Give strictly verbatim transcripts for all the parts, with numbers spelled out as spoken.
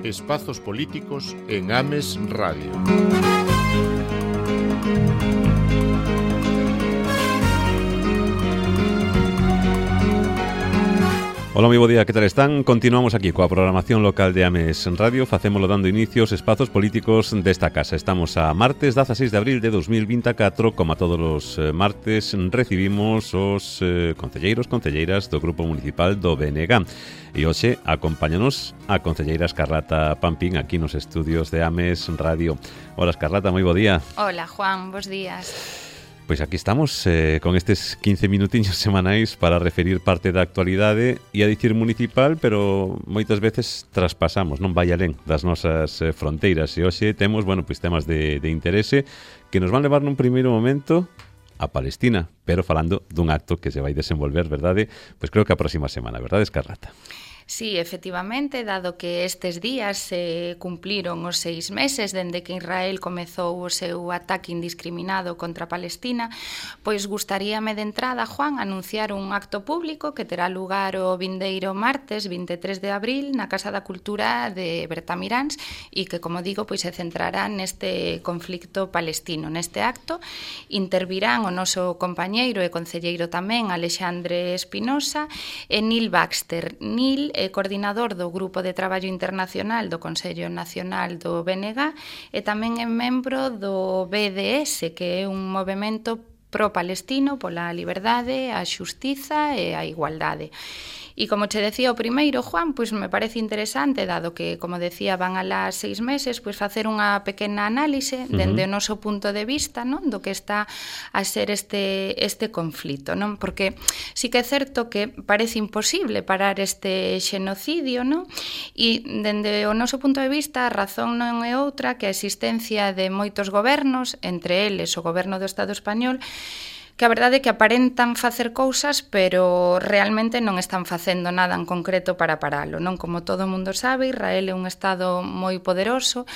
Espazos políticos en Ames Radio. Ola, moi bo día, que tal están? Continuamos aquí coa programación local de Ames Radio. Facémolo dando inicio aos espazos políticos desta casa. Estamos a martes dezaseis de abril de dos mil vinte e catro. Como a todos os martes, recibimos os eh, concelleiros, concelleiras do Grupo Municipal do B N G. E hoxe acompáñanos a concelleira Escarlata Pampín aquí nos estudios de Ames Radio. Ola, Escarlata, moi bo día. Hola, Juan, bos días. Pois aquí estamos eh, con estes quince minutiños semanais para referir parte da actualidade e a dicir municipal, pero moitas veces traspasamos, non vai alén das nosas eh, fronteiras. E hoxe temos, bueno, pois temas de, de interese que nos van levar nun primeiro momento a Palestina, pero falando dun acto que se vai desenvolver, verdade? Pois creo que a próxima semana, verdade, Escarlata? Sí, efectivamente, dado que estes días se cumpliron os seis meses dende que Israel comezou o seu ataque indiscriminado contra Palestina, pois gustaríame de entrada, Juan, anunciar un acto público que terá lugar o vindeiro martes vinte e tres de abril na Casa da Cultura de Bertamiráns e que, como digo, pois se centrará neste conflicto palestino. Neste acto intervirán o noso compañeiro e concelleiro tamén, Alexandre Espinosa, e Neil Baxter. Neil é coordinador do Grupo de Traballo Internacional do Consello Nacional do B N G e tamén é membro do B D S, que é un movemento pro-palestino pola liberdade, a xustiza e a igualdade. E como che decía o primeiro, Juan, pois me parece interesante, dado que, como decía, van a las seis meses, pois facer unha pequena análise dende uh-huh. o noso punto de vista, non, do que está a ser este este conflito, non? Porque sí que é certo que parece imposible parar este xenocidio, non? E dende o noso punto de vista, a razón non é outra que a existencia de moitos gobernos, entre eles o goberno do Estado español, que a verdade é que aparentan facer cousas, pero realmente non están facendo nada en concreto para paralo, non? Como todo o mundo sabe, Israel é un estado moi poderoso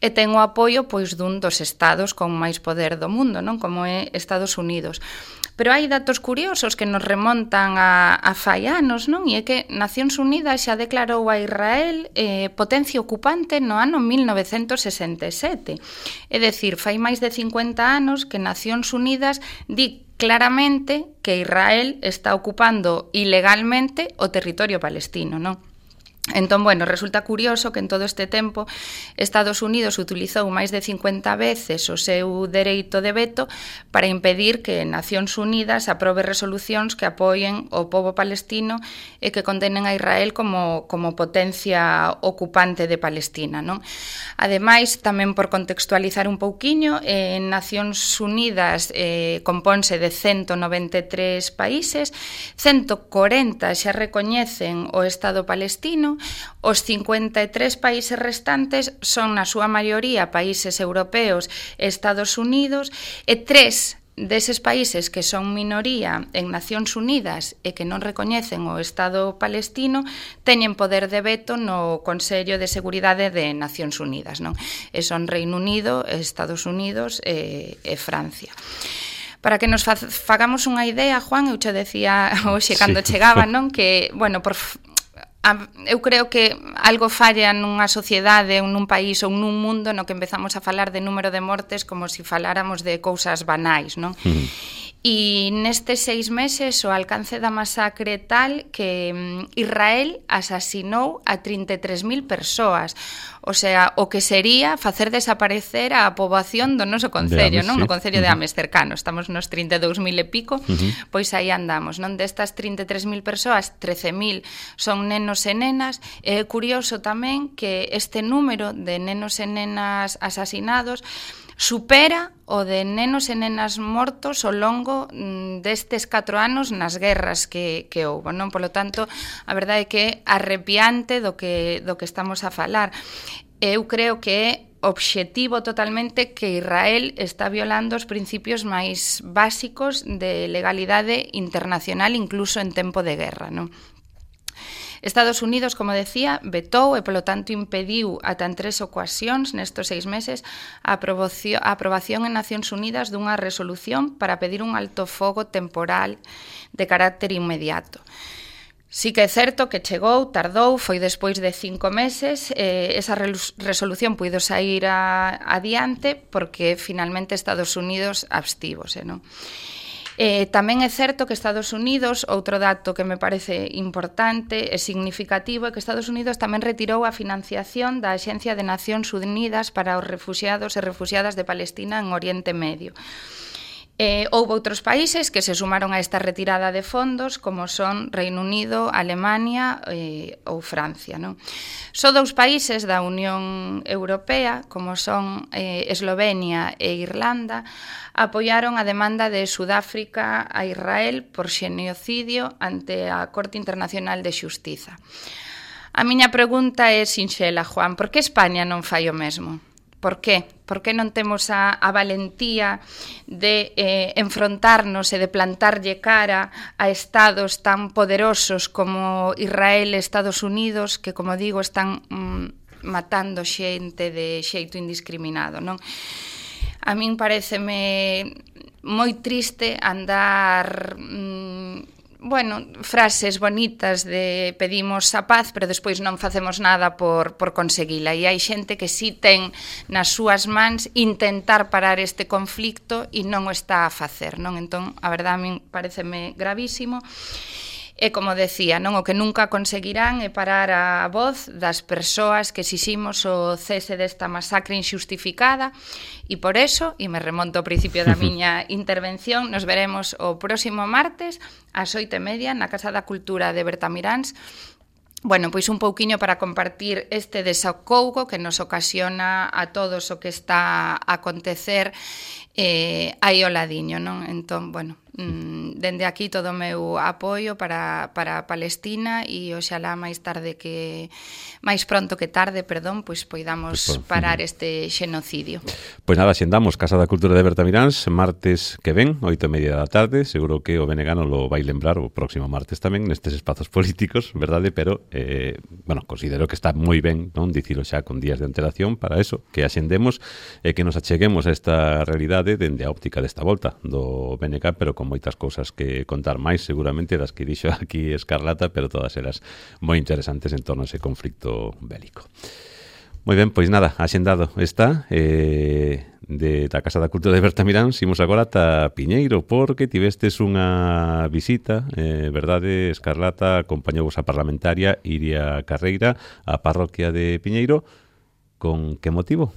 e ten o apoio pois dun dos estados con máis poder do mundo, non? Como é Estados Unidos. Pero hai datos curiosos que nos remontan a, a fai anos, non? E é que Nacións Unidas xa declarou a Israel eh, potencia ocupante no ano mil novecentos sesenta e sete. É dicir, fai máis de cincuenta anos que Nacións Unidas di claramente que Israel está ocupando ilegalmente o territorio palestino, non? Entón, bueno, resulta curioso que en todo este tempo Estados Unidos utilizou máis de cincuenta veces o seu dereito de veto para impedir que Nacións Unidas aprobe resolucións que apoien o pobo palestino e que condenen a Israel como, como potencia ocupante de Palestina, non? Ademais, tamén por contextualizar un pouquiño, en Nacións Unidas eh, compónse de ciento noventa e tres países, ciento corenta xa recoñecen o Estado palestino. Os cincuenta e tres países restantes son na súa maioría países europeos e Estados Unidos e tres deses países que son minoría en Nacións Unidas e que non recoñecen o Estado palestino teñen poder de veto no Consello de Seguridade de Nacións Unidas, non? E son Reino Unido, Estados Unidos e, e Francia. Para que nos fagamos unha idea, Juan, eu che decía hoxe cando sí. chegaba, non? Que, bueno, por... eu creo que algo falla nunha sociedade ou nun país ou nun mundo no que empezamos a falar de número de mortes como se faláramos de cousas banais, non? Uh-huh. E nestes seis meses o alcance da masacre tal que Israel asasinou a trinta e tres mil persoas. O sea, o que sería facer desaparecer a poboación do noso concello, non? No concello de Ames cercano. Estamos nos trinta e dous mil e pico, uh-huh. pois aí andamos, non? Destas trinta e tres mil persoas, trece mil son nenos e nenas. É curioso tamén que este número de nenos e nenas asasinados supera o de nenos e nenas mortos ao longo destes catro anos nas guerras que, que houve, non? Polo tanto, a verdade é que é arrepiante do que, do que estamos a falar. Eu creo que é obxectivo totalmente que Israel está violando os principios máis básicos de legalidade internacional, incluso en tempo de guerra, non? Estados Unidos, como decía, vetou e, polo tanto, impediu ata en tres ocasións nestos seis meses a aprobación, a aprobación en Nacións Unidas dunha resolución para pedir un alto fogo temporal de carácter inmediato. Sí que é certo que chegou, tardou, foi despois de cinco meses, eh, esa resolución puido sair a, adiante porque finalmente Estados Unidos abstívose, non? Eh, tamén é certo que Estados Unidos, outro dato que me parece importante e significativo, é que Estados Unidos tamén retirou a financiación da Axencia de Nacións Unidas para os refuxiados e refuxiadas de Palestina en Oriente Medio. Eh, houve outros países que se sumaron a esta retirada de fondos, como son Reino Unido, Alemania eh, ou Francia, non? Só dous países da Unión Europea, como son eh, Eslovenia e Irlanda, apoiaron a demanda de Sudáfrica a Israel por xenocidio ante a Corte Internacional de Xustiza. A miña pregunta é sinxela, Juan, por que España non fai o mesmo? Por qué? Por que non temos a, a valentía de eh, enfrontarnos e de plantarlle cara a estados tan poderosos como Israel e Estados Unidos, que, como digo, están mm, matando xente de xeito indiscriminado, non? A min pareceme moi triste andar... Mm, bueno, frases bonitas de pedimos a paz, pero despois non facemos nada por, por conseguila. E hai xente que si ten nas súas mans intentar parar este conflicto e non o está a facer, non? Entón, a verdade, a min pareceme gravísimo. E, como decía, non, o que nunca conseguirán é parar a voz das persoas que exiximos o cese desta masacre injustificada e por eso, e me remonto ao principio da miña intervención, nos veremos o próximo martes ás oito e media na Casa da Cultura de Bertamiráns. Bueno, pois un pouquiño para compartir este desacougo que nos ocasiona a todos o que está a acontecer eh, aí ao ladiño, non? Entón, bueno, mm, dende aquí todo o meu apoio para, para Palestina e oxalá máis tarde que máis pronto que tarde, perdón, pois poidamos pues, pues, parar este xenocidio. Pois nada, xendamos Casa da Cultura de Bertamiráns martes que ven, oito e media da tarde. Seguro que o Benegano lo vai lembrar o próximo martes tamén nestes espazos políticos, verdade? Pero, eh, bueno, considero que está moi ben, non, dicilo xa con días de antelación para eso, que axendemos e que nos acheguemos a esta realidade dende a óptica desta volta do B N K, pero con moitas cousas que contar máis, seguramente, das que dixo aquí Escarlata, pero todas elas moi interesantes en torno a ese conflicto bélico. Moi ben, pois nada, axendado está eh, de da Casa da Cultura de Bertamiráns. Imos agora ata Piñeiro, porque tivestes unha visita, eh, verdade, Escarlata, acompañou a parlamentaria Iria Carreira á parroquia de Piñeiro. Con que motivo?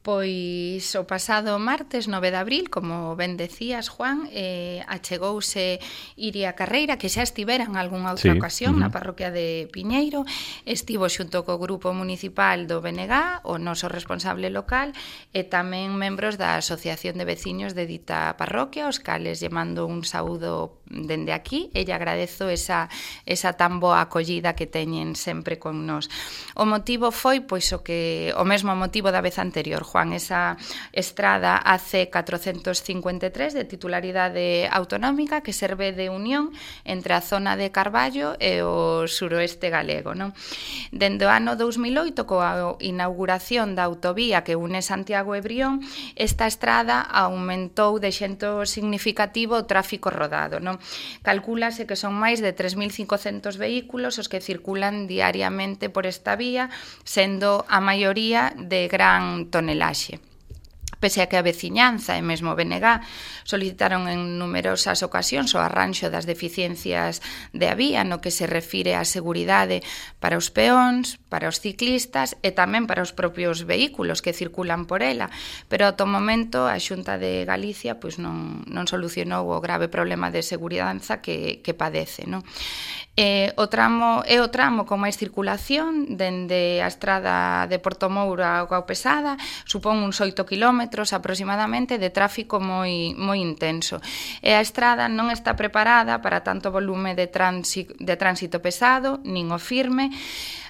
Pois o pasado martes nove de abril, como ben decías, Juan, eh, achegouse Iria Carreira, que xa estivera en algunha outra sí. ocasión uh-huh. na parroquia de Piñeiro, estivo xunto co grupo municipal do B N G, o noso responsable local, e tamén membros da Asociación de Veciños de dita parroquia, os cales lle mando un saúdo dende aquí, e lle agradezo esa, esa tan boa acollida que teñen sempre con nós. O motivo foi, pois, o que o mesmo motivo da vez anterior, Juan, esa estrada A C catrocentos cincuenta e tres de titularidade autonómica que serve de unión entre a zona de Carballo e o suroeste galego, non? Dende o ano dous mil oito, coa inauguración da autovía que une Santiago e Brión, esta estrada aumentou de xento significativo o tráfico rodado, non? Calcúlase que son máis de tres mil cincocentos vehículos os que circulan diariamente por esta vía, sendo a maioría de gran tonelaxe. Pese a que a veciñanza e mesmo o B N G solicitaron en numerosas ocasións o arranxo das deficiencias de a vía no que se refire á seguridade para os peóns, para os ciclistas e tamén para os propios vehículos que circulan por ela, pero ata o momento a Xunta de Galicia pois non, non solucionou o grave problema de seguridade que, que padece, non? Eh, o tramo, é o tramo con máis circulación dende a estrada de Portomouro a Gao Pesada, supón uns oito kilómetros aproximadamente de tráfico moi, moi intenso. E a estrada non está preparada para tanto volume de, transi, de tránsito pesado, nin o firme.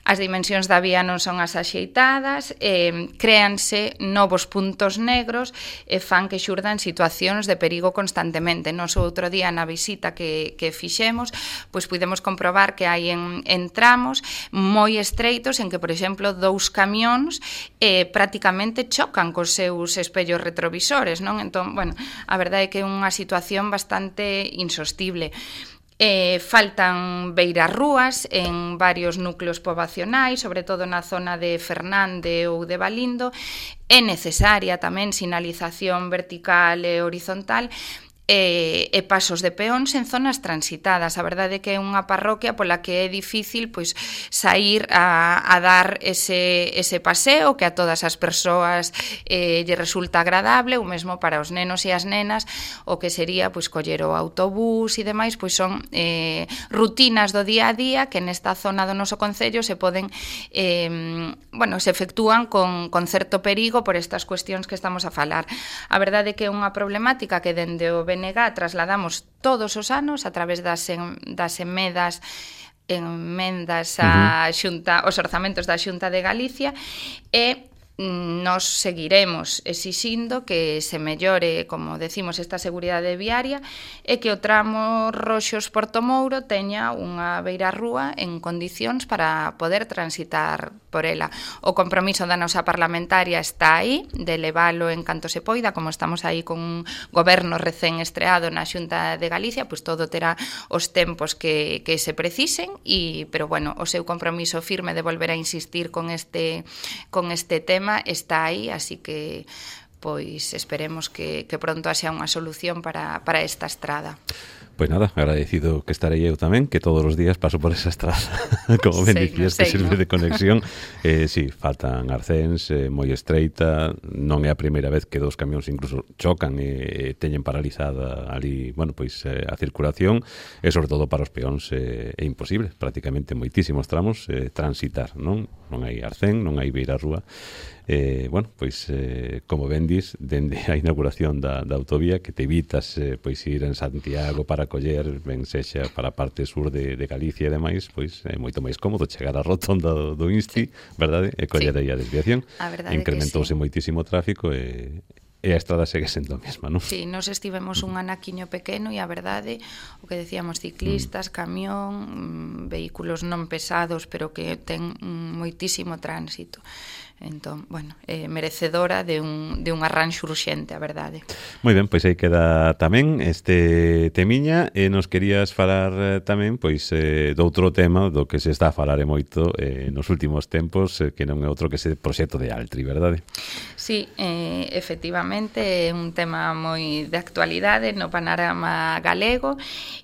As dimensións da vía non son as axeitadas, eh, créanse novos puntos negros e fan que xurdan situacións de perigo constantemente. Nos outro día na visita que, que fixemos, pois pudemos comprobar que hai en, en tramos moi estreitos en que, por exemplo, dous camións eh, prácticamente chocan cos seus espellos retrovisores, non? Entón, bueno, a verdade é que é unha situación bastante insostible. Eh, faltan beirarrúas en varios núcleos poboacionais, sobre todo na zona de Fernande ou de Valindo. É necesaria tamén sinalización vertical e horizontal e, e pasos de peóns en zonas transitadas. A verdade é que é unha parroquia pola que é difícil pois sair a, a dar ese, ese paseo que a todas as persoas eh, lle resulta agradable, ou mesmo para os nenos e as nenas o que sería pois coller o autobús e demais, pois son eh, rutinas do día a día que nesta zona do noso concello se poden eh, bueno, se efectúan con, con certo perigo por estas cuestións que estamos a falar. A verdade é que é unha problemática que dende o B N G trasladamos todos os anos a través das, en, das emendas emendas a xunta, os orzamentos da Xunta de Galicia, e nos seguiremos exixindo que se mellore, como decimos, esta seguridade viaria e que o tramo Roxos-Porto Mouro teña unha beirarrúa en condicións para poder transitar por ela. O compromiso da nosa parlamentaria está aí, de levalo en canto se poida, como estamos aí con un goberno recén estreado na Xunta de Galicia, pois todo terá os tempos que, que se precisen, e, pero bueno, o seu compromiso firme de volver a insistir con este, con este tema está aí, así que pois esperemos que, que pronto haxa unha solución para, para esta estrada. Pois nada, agradecido que estarei eu tamén, que todos os días paso por esa estrada, como ben dicías, que sirve de conexión. Eh, sí, faltan arcéns, eh, moi estreita, non é a primeira vez que dos camións incluso chocan e, e teñen paralizada ali, bueno, pois eh, a circulación, e sobre todo para os peóns eh, é imposible, prácticamente moitísimos tramos eh, transitar, non? Non hai arcén, non hai beirarrúa. Eh, bueno, pois eh, como ben dis, dende a inauguración da, da autovía, que te evitas eh, pois ir en Santiago para coller, ben sexa para a parte sur de, de Galicia e demais, pois é moito máis cómodo chegar á rotonda do, do Insti, sí, verdade? E coller aí a desviación. A incrementouse sí. moitísimo o tráfico e e a estrada segue sendo a mesma, non? Sí, nos estivemos un anaquiño pequeno e a verdade, o que decíamos, ciclistas, camión, vehículos non pesados, pero que ten moitísimo tránsito. Entón, bueno, eh, merecedora de un, de un arranxo urxente, a verdade. Moi ben, pois aí queda tamén este temiña, e nos querías falar eh, tamén pois eh, doutro tema do que se está a falar e moito eh, nos últimos tempos, eh, que non é outro que ese proxecto de Altri, verdade? Sí, eh, efectivamente é un tema moi de actualidade no panorama galego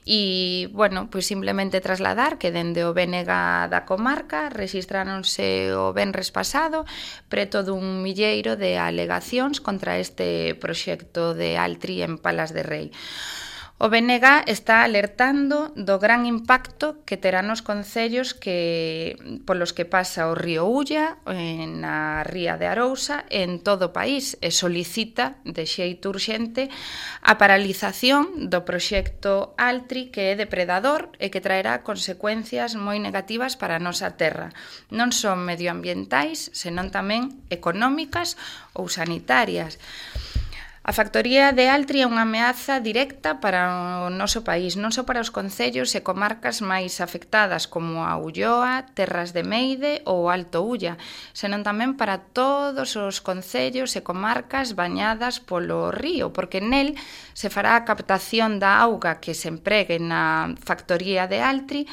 e, bueno, pois simplemente trasladar que dende o B N G da comarca rexistráronse o venres pasado preto dun milleiro de alegacións contra este proxecto de Altri en Palas de Rei. O B N G está alertando do gran impacto que terá nos concellos que polos que pasa o río Ulla, na ría de Arousa, en todo o país, e solicita de xeito urxente a paralización do proxecto Altri, que é depredador e que traerá consecuencias moi negativas para a nosa terra. Non son medioambientais, senón tamén económicas ou sanitarias. A factoría de Altri é unha ameaza directa para o noso país, non só para os concellos e comarcas máis afectadas como a Ulloa, Terras de Meide ou Alto Ulla, senón tamén para todos os concellos e comarcas bañadas polo río, porque nel se fará a captación da auga que se empregue na factoría de Altri,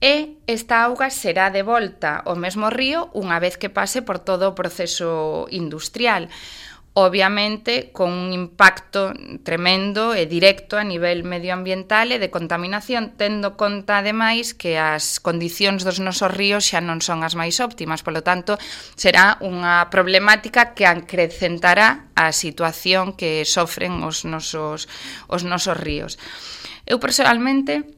e esta auga será devolta ao mesmo río unha vez que pase por todo o proceso industrial. Obviamente, con un impacto tremendo e directo a nivel medioambiental e de contaminación, tendo conta, ademais, que as condicións dos nosos ríos xa non son as máis óptimas, polo tanto, será unha problemática que acrecentará a situación que sofren os nosos, os nosos ríos. Eu, personalmente,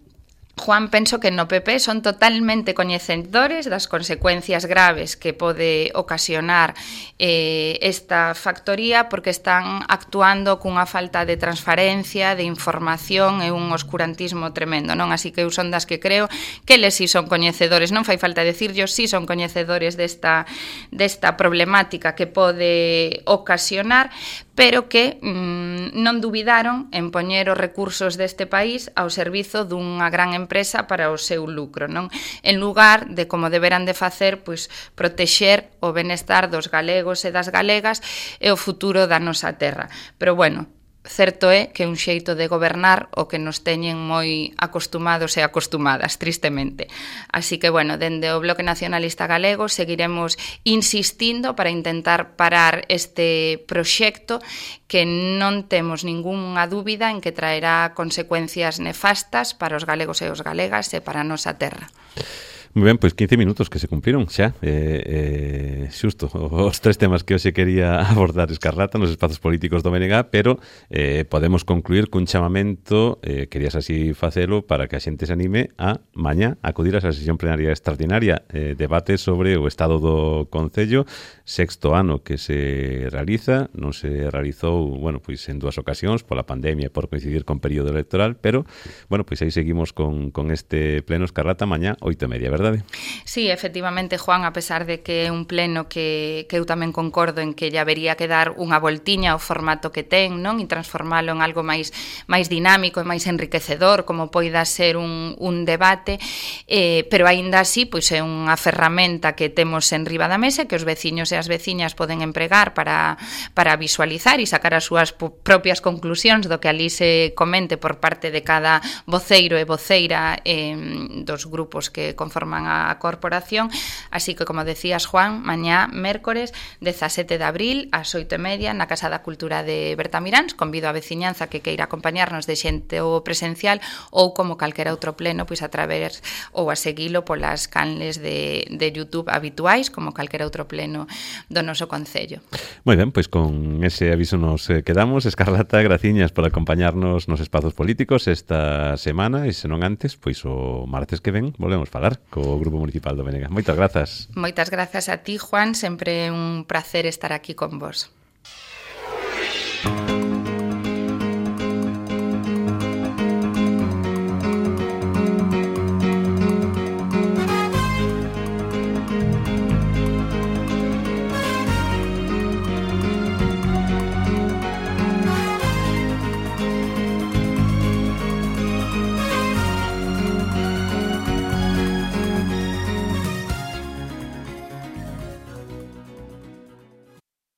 Juan, penso que no P P son totalmente coñecedores das consecuencias graves que pode ocasionar eh, esta factoría, porque están actuando cunha falta de transparencia, de información e un oscurantismo tremendo, non? Así que eu son das que creo que eles si son coñecedores, non fai falta decirllos, si son coñecedores desta, desta problemática que pode ocasionar, pero que mmm, non dubidaron en poñer os recursos deste país ao servizo dunha gran empresa para o seu lucro, non? En lugar de, como deberan de facer, pois protexer o benestar dos galegos e das galegas e o futuro da nosa terra. Pero, bueno, certo é que é un xeito de gobernar o que nos teñen moi acostumados e acostumadas, tristemente. Así que, bueno, dende o Bloque Nacionalista Galego seguiremos insistindo para intentar parar este proxecto que non temos ningunha dúbida en que traerá consecuencias nefastas para os galegos e os galegas e para a nosa terra. Moi ben, pois quince minutos que se cumpriron xa eh, eh, xusto os tres temas que hoxe quería abordar Escarlata nos espazos políticos do B N G, pero eh, podemos concluir cun chamamento, eh, querías así facelo para que a xente se anime a mañá acudir a esa sesión plenaria extraordinaria, eh, debate sobre o estado do Concello, sexto ano que se realiza, non se realizou, bueno, pois en dúas ocasións pola pandemia e por coincidir con período electoral, pero bueno, pois aí seguimos con, con este pleno Escarlata mañá oito e media, verdade? Sí, efectivamente, Juan, a pesar de que é un pleno que, que eu tamén concordo en que lle habería que dar unha voltiña ao formato que ten, non? E transformalo en algo máis máis dinámico e máis enriquecedor, como poida ser un, un debate, eh, pero aínda así, pois é unha ferramenta que temos en riba da mesa que os veciños e as veciñas poden empregar para, para visualizar e sacar as súas propias conclusións do que ali se comente por parte de cada voceiro e voceira eh, dos grupos que conforman a corporación, así que, como decías, Juan, mañá, mércores, dezasete de abril, ás oito e media, na Casa da Cultura de Bertamiráns. Convido a veciñanza que queira acompañarnos de xente ou presencial ou como calquera outro pleno, pois a través ou a seguilo polas canles de, de YouTube habituais, como calquera outro pleno do noso Concello. Moi ben, pois con ese aviso nos eh, quedamos. Escarlata, graciñas por acompañarnos nos espazos políticos esta semana e, se non antes, pois o martes que ven volvemos falar co Grupo Municipal do B N G. Moitas grazas. Moitas grazas a ti, Juan, sempre un placer estar aquí con vos.